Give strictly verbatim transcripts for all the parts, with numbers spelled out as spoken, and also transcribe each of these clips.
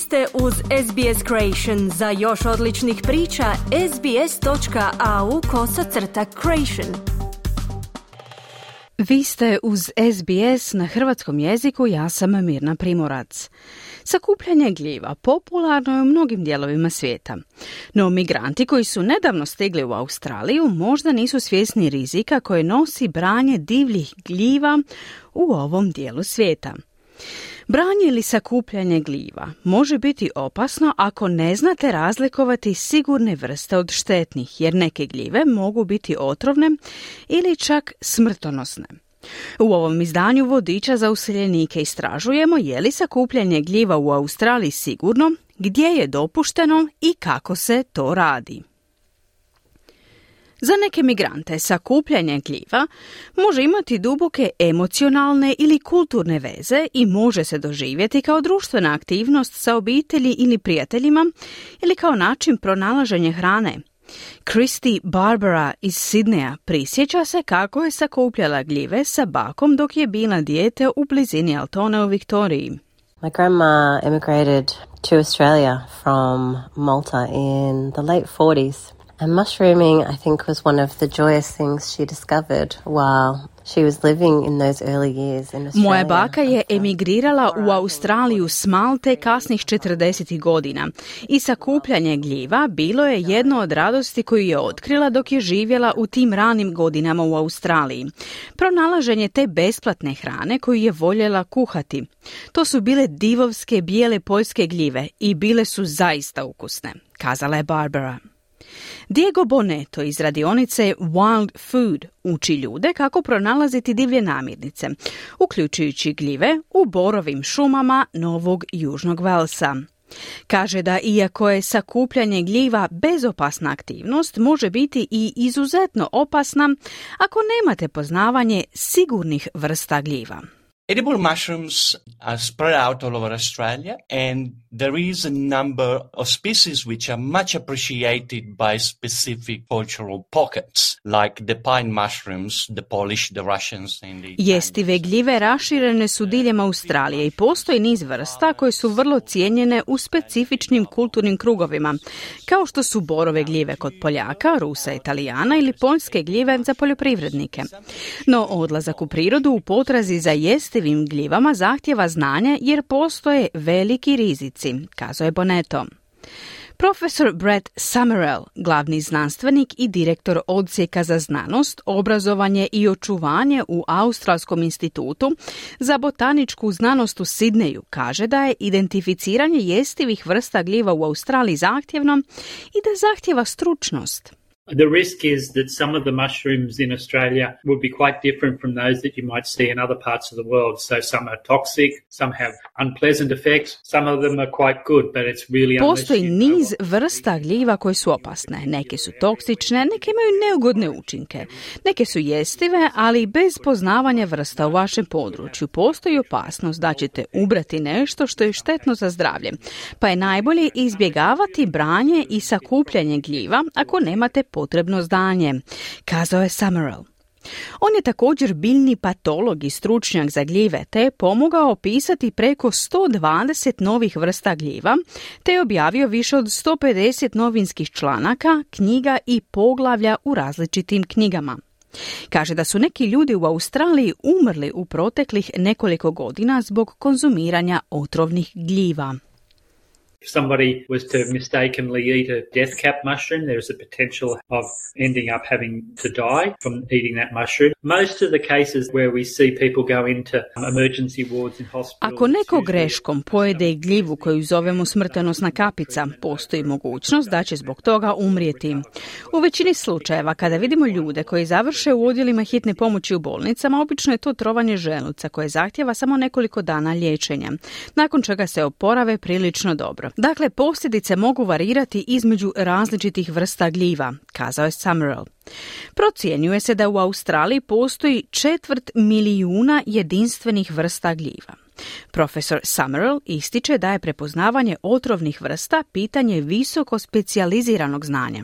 ste uz S B S Creation. Za još odličnih priča, sbs.au kosacrta creation. Vi ste uz S B S na hrvatskom jeziku, ja sam Mirna Primorac. Sakupljanje gljiva popularno je u mnogim dijelovima svijeta. No migranti koji su nedavno stigli u Australiju možda nisu svjesni rizika koje nosi branje divljih gljiva u ovom dijelu svijeta. Branje ili sakupljanje gljiva može biti opasno ako ne znate razlikovati sigurne vrste od štetnih, jer neke gljive mogu biti otrovne ili čak smrtonosne. U ovom izdanju vodiča za useljenike istražujemo je li sakupljanje gljiva u Australiji sigurno, gdje je dopušteno i kako se to radi. Za neke migrante sakupljanje gljiva može imati duboke emocionalne ili kulturne veze i može se doživjeti kao društvena aktivnost sa obitelji ili prijateljima ili kao način pronalaženja hrane. Christy Barbara iz Sidneja prisjeća se kako je sakupljala gljive sa bakom dok je bila dijete u blizini Altona u Viktoriji. My grandma emigrated to Australia from Malta in the late forties. And mushrooming, I think, was one of the joyous things she discovered while she was living in those early years in Australia. Moja baka je emigrirala u Australiju s Malte kasnih četrdesetih godina i sakupljanje gljiva bilo je jedno od radosti koju je otkrila dok je živjela u tim ranim godinama u Australiji. Pronalaženje te besplatne hrane koju je voljela kuhati. To su bile divovske bijele poljske gljive i bile su zaista ukusne, kazala je Barbara. Diego Bonetto iz radionice Wild Food uči ljude kako pronalaziti divlje namirnice, uključujući gljive u borovim šumama Novog Južnog Velsa. Kaže da iako je sakupljanje gljiva bezopasna aktivnost, može biti i izuzetno opasna ako nemate poznavanje sigurnih vrsta gljiva. Edible mushrooms are spread out all over Australia, and there is a number of species which are much appreciated by specific cultural pockets, like the pine mushrooms, the Polish, the Russians and the Jestive gljive raširene su diljem Australije i postoji niz vrsta koje su vrlo cijenjene u specifičnim kulturnim krugovima, kao što su borove gljive kod Poljaka, Rusa, Italijana ili poljske gljive za poljoprivrednike. No odlazak u prirodu u potrazi za jestivim gljivama zahtjeva znanje jer postoje veliki rizici, kazao je Bonetto. Profesor Brett Summerall, glavni znanstvenik i direktor odsjeka za znanost, obrazovanje i očuvanje u Australskom institutu za botaničku znanost u Sidneju, kaže da je identificiranje jestivih vrsta gljiva u Australiji zahtjevno i da zahtjeva stručnost. The risk is that some of the mushrooms in Australia would be quite different from those that you might see in other parts of the world. So some are toxic, some have unpleasant effects, some of them are quite good, but it's really Postoji niz vrsta gljiva koje su opasne. Neke su toksične, neke imaju neugodne učinke. Neke su jestive, ali bez poznavanja vrsta u vašem području postoji opasnost da ćete ubrati nešto što je štetno za zdravlje. Pa je najbolje izbjegavati branje i sakupljanje gljiva ako nemate potrebno znanje, kazao je Summerall. On je također biljni patolog i stručnjak za gljive, te je pomogao opisati preko sto dvadeset novih vrsta gljiva, te je objavio više od sto pedeset novinskih članaka, knjiga i poglavlja u različitim knjigama. Kaže da su neki ljudi u Australiji umrli u proteklih nekoliko godina zbog konzumiranja otrovnih gljiva. If somebody was to mistakenly eat a death cap mushroom, there is a potential of ending up having to die from eating that mushroom. Most of the cases where we see people go into emergency wards in hospitals. Ako neko greškom pojede gljivu koju zovemo smrtonosna kapica, postoji mogućnost da će zbog toga umrijeti. U većini slučajeva kada vidimo ljude koji završe u odjelima hitne pomoći u bolnicama, obično je to trovanje želuca koje zahtjeva samo nekoliko dana liječenja, nakon čega se oporave prilično dobro. Dakle, posljedice mogu varirati između različitih vrsta gljiva, kazao je Summerall. Procjenjuje se da u Australiji postoji četvrt milijuna jedinstvenih vrsta gljiva. Profesor Summerall ističe da je prepoznavanje otrovnih vrsta pitanje visoko specijaliziranog znanja.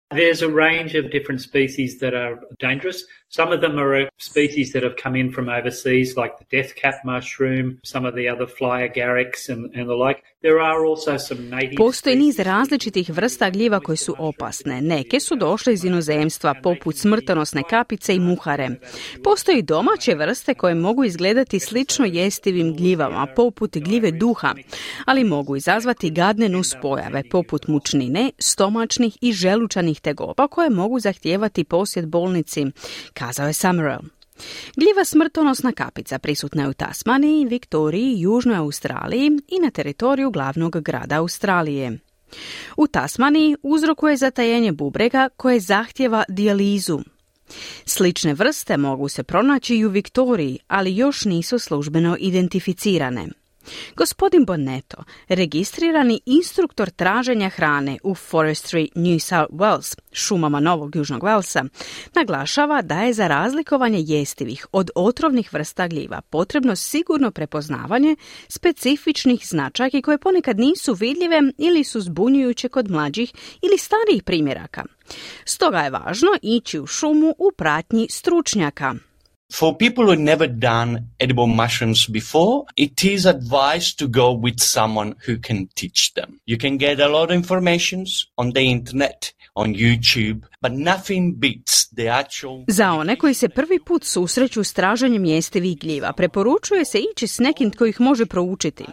There's a range of different species that are dangerous. Some of them are species that have come in from overseas, like the death cap mushroom, some of the other fly agarics and, and the like. There are also some native Postoji niz različitih vrsta gljiva koje su opasne. Neke su došle iz inozemstva, poput smrtonosne kapice i muhare. Postoji i domaće vrste koje mogu izgledati slično jestivim gljivama, poput gljive duha, ali mogu izazvati gadne nuspojave, poput mučnine, stomačnih i želučanih tegoba koje mogu zahtijevati posjet bolnici, kazao je Summerall. Gljiva smrtonosna kapica prisutna je u Tasmaniji, Viktoriji, Južnoj Australiji i na teritoriju glavnog grada Australije. U Tasmaniji uzrokuje zatajenje bubrega koje zahtjeva dijalizu. Slične vrste mogu se pronaći i u Viktoriji, ali još nisu službeno identificirane. Gospodin Bonetto, registrirani instruktor traženja hrane u Forestry New South Wales, šumama Novog Južnog Walesa, naglašava da je za razlikovanje jestivih od otrovnih vrsta gljiva potrebno sigurno prepoznavanje specifičnih značajki koje ponekad nisu vidljive ili su zbunjujuće kod mlađih ili starijih primjeraka. Stoga je važno ići u šumu u pratnji stručnjaka. For people who've never done edible mushrooms before, it is advised to go with someone who can teach them. You can get a lot of information on the internet, on YouTube, but nothing beats the actual... Za one koji se prvi put susreću s traženjem jestivih gljiva, preporučuje se ići s nekim tko ih može proučiti.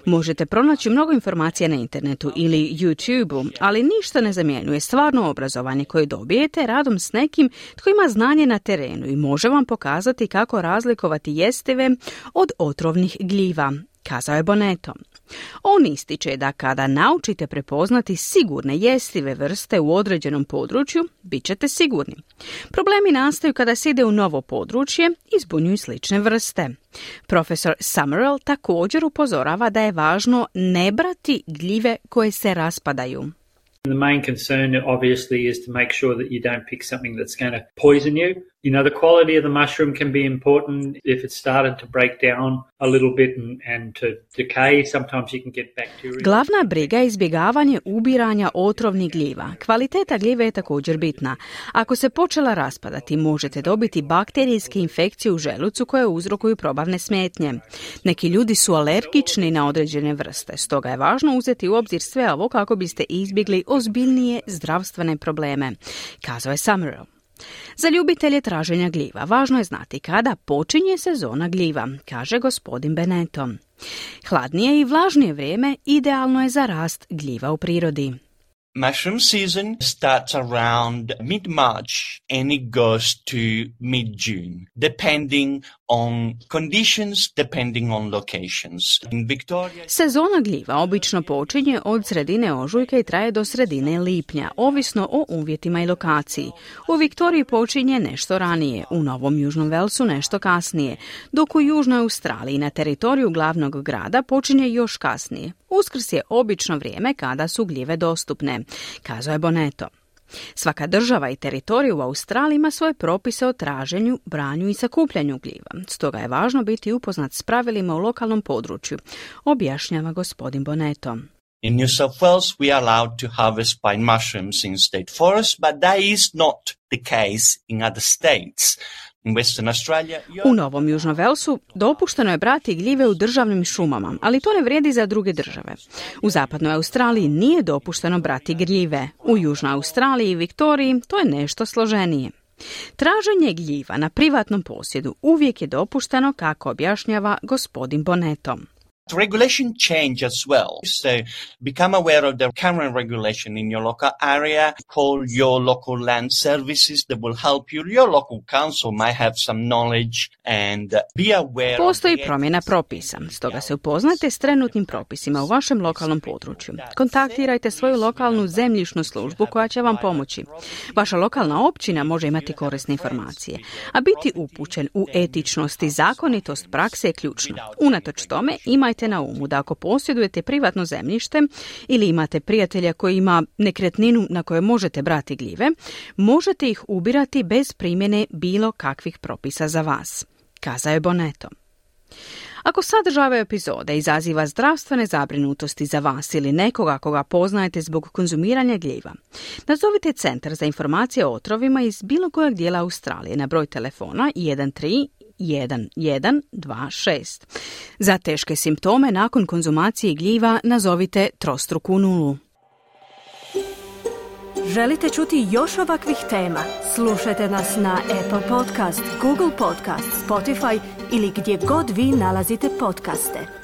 Možete pronaći mnogo informacija na internetu ili YouTubeu, ali ništa ne zamjenjuje stvarno obrazovanje koje dobijete radom s nekim tko ima znanje na terenu i može vam pokazati kako razlikovati jestive od otrovnih gljiva, kazao je Bonetto. On ističe da kada naučite prepoznati sigurne jestive vrste u određenom području, bit ćete sigurni. Problemi nastaju kada se ide u novo područje i zbunjuju slične vrste. Profesor Summerall također upozorava da je važno ne brati gljive koje se raspadaju. The main concern obviously is to make sure that you don't pick something that's going to poison you. You know, the quality of the mushroom can be important. If it's started to break down a little bit and, and to decay, sometimes you can get bacteria. Glavna briga je izbjegavanje ubiranja otrovnih gljiva. Kvaliteta gljive je također bitna. Ako se počela raspadati, možete dobiti bakterijske infekcije u želucu koje uzrokuju probavne smetnje. Neki ljudi su alergični na određene vrste, stoga je važno uzeti u obzir sve ovo kako biste izbjegli ozbiljnije zdravstvene probleme, kazao je Summerall. Za ljubitelje traženja gljiva važno je znati kada počinje sezona gljiva, kaže gospodin Bonetto. Hladnije i vlažnije vrijeme idealno je za rast gljiva u prirodi. Mushroom season starts around mid-March and it goes to mid-June, depending on conditions, depending on locations. In Victoria... Sezona gljiva obično počinje od sredine ožujka i traje do sredine lipnja, ovisno o uvjetima i lokaciji. U Viktoriji počinje nešto ranije, u Novom Južnom Walesu nešto kasnije, dok u Južnoj Australiji na teritoriju glavnog grada počinje još kasnije. Uskrs je obično vrijeme kada su gljive dostupne, kazao je Bonetto. Svaka država i teritorij u Australiji ima svoje propise o traženju, branju i sakupljanju gljiva. Stoga je važno biti upoznat s pravilima u lokalnom području, objašnjava gospodin Bonetto. In New South Wales, we are allowed to harvest pine mushrooms in state forests, but that is not the case in other states. In Western Australia, u Novom Južnom Walesu dopušteno je brati gljive u državnim šumama, ali to ne vrijedi za druge države. U zapadnoj Australiji nije dopušteno brati gljive. U Južnoj Australiji i Viktoriji to je nešto složenije. Traženje gljiva na privatnom posjedu uvijek je dopušteno, kako objašnjava gospodin Bonetto. Regulation change as well. So become aware of the current regulation in your local area. Call your local land services that will help you. Your local council might have some knowledge and be aware. Postoji promjena propisa, stoga se upoznajte s trenutnim propisima u vašem lokalnom području. Kontaktirajte svoju lokalnu zemljišnu službu koja će vam pomoći. Vaša lokalna općina može imati korisne informacije, a biti upućen u etičnost i zakonitost prakse je ključno. Unatoč tome, imajte na umu da ako posjedujete privatno zemljište ili imate prijatelja koji ima nekretninu na kojoj možete brati gljive, možete ih ubirati bez primjene bilo kakvih propisa za vas, kazao je Bonetto. Ako sadržaj ove epizode izaziva zdravstvene zabrinutosti za vas ili nekoga koga poznajete zbog konzumiranja gljiva, nazovite Centar za informacije o otrovima iz bilo kojeg dijela Australije na broj telefona jedan tri jedan jedan dva šest. Za teške simptome nakon konzumacije gljiva nazovite trostruku nulu. Želite čuti još ovakvih tema? Slušajte nas na Apple Podcast, Google Podcast, Spotify ili gdje god vi nalazite podcaste.